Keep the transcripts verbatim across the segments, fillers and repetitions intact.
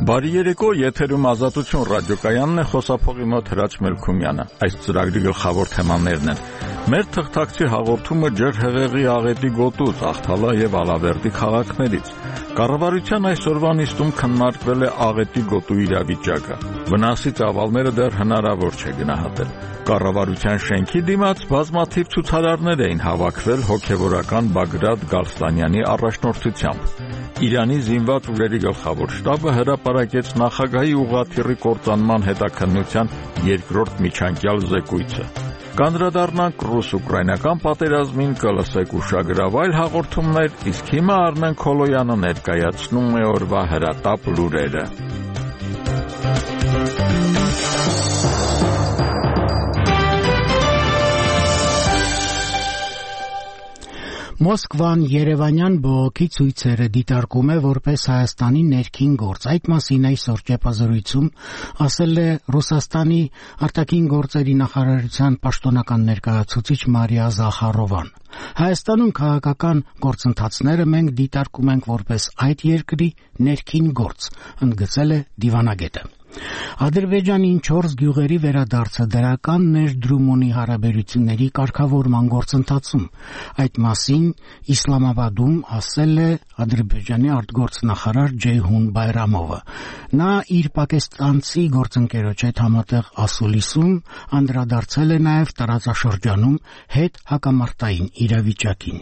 Բարի երեկո, եթերում Ազատություն ռադիոկայանն է, խոսափողի մոտ Հրաչ Մելքումյանը։ Այս ծրագրի գլխավոր թեմաներն են. մեր թղթակցի հաղորդումը ջրհեղեղի աղետի գոտուց, Աղթալա եւ Ալավերդի քաղաքներից։ Կառավարության այսօրվա նիստում քննարկվել է աղետի գոտու իրավիճակը։ Վնասի ծավալները դեռ հնարավոր չէ գնահատել։ Կառավարության շենքի դիմաց բազմաթիվ ցուցարարներ էին հավաքվել հոգևորական Բագրատ Գալստանյանի առաջնորդությամբ։ Իրանի զինված ուժերի գլխավոր շտաբը հրապարակեց նախագահի ուղղաթիռի կործանման հետաքննության երկրորդ միջանկյալ զեկույցը։ Կանդրադառնանք ռուս-ուկրաինական պատերազմին, կլսեք ուշագրավ այլ հաղորդումներ, իսկ հիմա Արմեն Քոլոյանը ներկայացնում է օրվա հրատապ լուրերը։ Մոսկվան երևանյան բողոքի ցույցերը դիտարկում է որպես Հայաստանի ներքին գործ։ Այդ մասին այսօր ճեպազրույցում ասել է Ռուսաստանի արտաքին գործերի նախարարության պաշտոնական ներկայացուցիչ Մարիա Զախարովան։ Հայաստանում քաղաքական գործընթացները մենք դիտարկում ենք որպես այդ երկրի ներքին գործ, ընդգծել է դիվանագետը։ Ադրբեջանին չորս գյուղերի վերադարձը դրական ներդրում ունի հարաբերությունների կարգավորման գործընթացում։ Այդ մասին Իսլամաբադում ասել է Ադրբեջանի արտգործնախարար Ջեյհուն Բայրամովը։ Նա իր պակիստանցի գործընկերոջ հետ համատեղ ասուլիսում անդրադարձել է նաև տարածաշրջանում հետ հակամարտային իրավիճակին։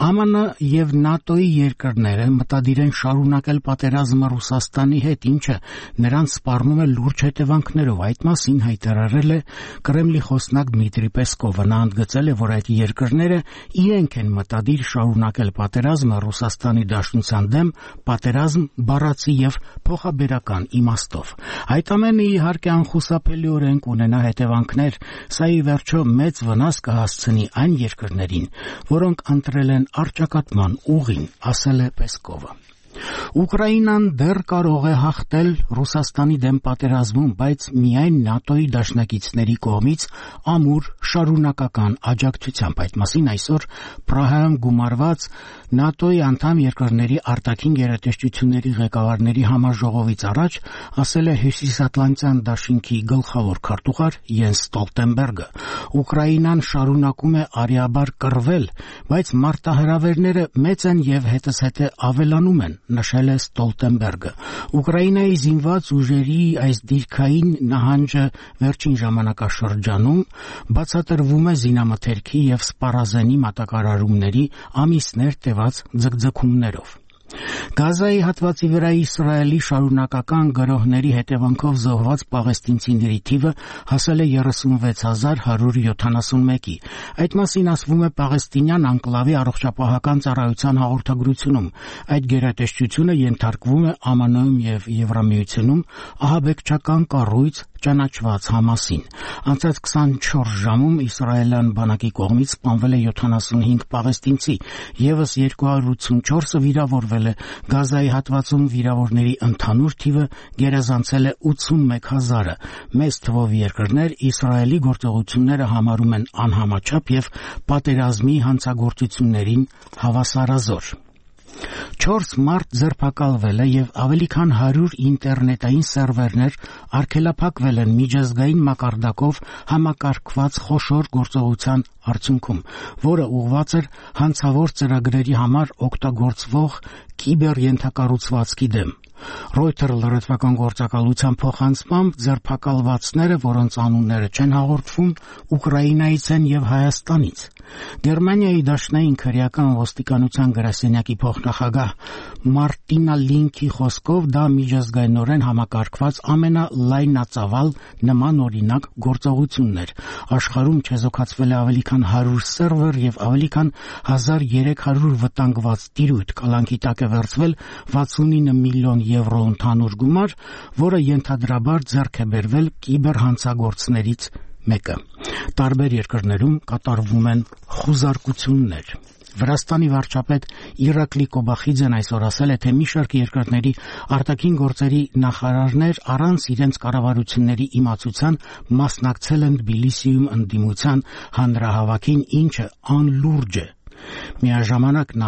ԱՄՆ եւ ՆԱՏՕ-ի երկրները մտադիր են շարունակել պատերազմը Ռուսաստանի հետ, ինչը նրանց սպառնում է լուրջ հետևանքներով։ Այդ մասին հայտարարել է Կրեմլի խոսնակ Դմիտրի Պեսկովը։ Նա ընդգծել է, որ այդ երկրները իրենք են մտադիր շարունակել պատերազմը Ռուսաստանի Դաշնության դեմ, պատերազմ բառացի եւ փոխաբերական իմաստով։ Այդ ամենը իհարկե անխուսափելիորեն կունենա հետևանքներ, սա ի վերջո մեծ վնաս կհասցնի այն երկրներին, որոնք ընտրել են առճակատման ուղին, ասել է Պեսկովը։ Ուկրաինան դեռ կարող է հաղթել Ռուսաստանի դեմ պատերազմում, բայց միայն ՆԱՏՕ-ի դաշնակիցների կողմից ամուր շարունակական աջակցությամբ։ Այդ մասին այսօր Պրահայում գումարված ՆԱՏՕ-ի անդամ երկրների արտաքին գերատեսչությունների ղեկավարների համաժողովից առաջ ասել է Հյուսիսատլանտյան դաշինքի գլխավոր քարտուղար Յենս Ստոլտենբերգը։ Ուկրաինան շարունակում է արիաբար կռվել, բայց մարտահրավերները մեծ են եւ հետզհետե ավելանում են, նշել է Ստոլտենբերգը։ Ուկրաինայի զինված ուժերի այս դիրքային նահանջը վերջին ժամանակաշրջանում բացատրվում է զինամթերքի եւ սպառազենի մատակարարումների ամիսներ տևած ձգձգումներով։ Գազայի հատվածի վրա Իսրայելի շարունակական գրոհների հետևանքով զոհված պաղեստինցիների թիվը հասել է երեսունվեց հազար հարյուր յոթանասունմեկի։ Այդ մասին ասվում է պաղեստինյան անկլավի առողջապահական ծառայության հաղորդագրությունում։ Այդ գերատեսչությունը ենթարկվում է ԱՄՆ-ում եւ Եվրամիությունում ահաբեկչական կառույց ճանաչված Համասին։ Անցած քսանչորս ժամում իսրայելյան բանակի կողմից սպանվել է յոթանասունհինգ պաղեստինցի, եւս երկու հարյուր ութսունչորսը վիրավորվել է։ Գազայի հատվածում վիրավորների ընդհանուր թիվը գերազանցել է ութսունմեկ հազարը։ Մեծ թվով երկրներ Իսրայելի գործողությունները համարում են անհամաչափ եւ պատերազմի հանցագործություններին հավասարազոր։ Չորս մարդ ձերբակալվել է եւ ավելի քան հարյուր ինտերնետային սերվերներ արգելափակվել են միջազգային մակարդակով համակարգված խոշոր գործողության արդյունքում, որը ուղղված էր հանցավոր ծրագրերի համար օգտագործվող կիբերենթակառուցվածքի դեմ։ Reuters լրատվական գործակալության փոխանցմամբ ձերբակալվածները, որոնց անունները չեն հաղորդվում, Ուկրաինայից են եւ Հայաստանից։ Գերմանիայի դաշնային քրեական ոստիկանության գրասենյակի փոխնախագահ Մարտինա Լինքի խոսքով դա միջազգայինորեն համակարգված ամենալայնածավալ նմանօրինակ գործողությունն էր։ Աշխարհում չեզոքացվել է ավելի քան հարյուր սերվեր եւ ավելի քան հազար երեք հարյուր վտանգված տիրույթ։ Կալանքի տակ է վերցվել վաթսունինը միլիոն եվրո ընդհանուր գումար, որը ենթադրաբար ձեռք է բերվել կիբերհանցագործներից մեկը։ Տարբեր երկրներում կատարվում են խուզարկություններ։ Վրաստանի վարչապետ Իրակլի Կոբախիձեն այսօր ասել է, թե մի շարք երկրների արտաքին գործերի նախարարներ առանց իրենց կառավարությունների իմացության մասնակցել են Թբիլիսիում ընդդիմության հանրահավաքին, ինչը անլուրջ է։ Միաժամանակ նա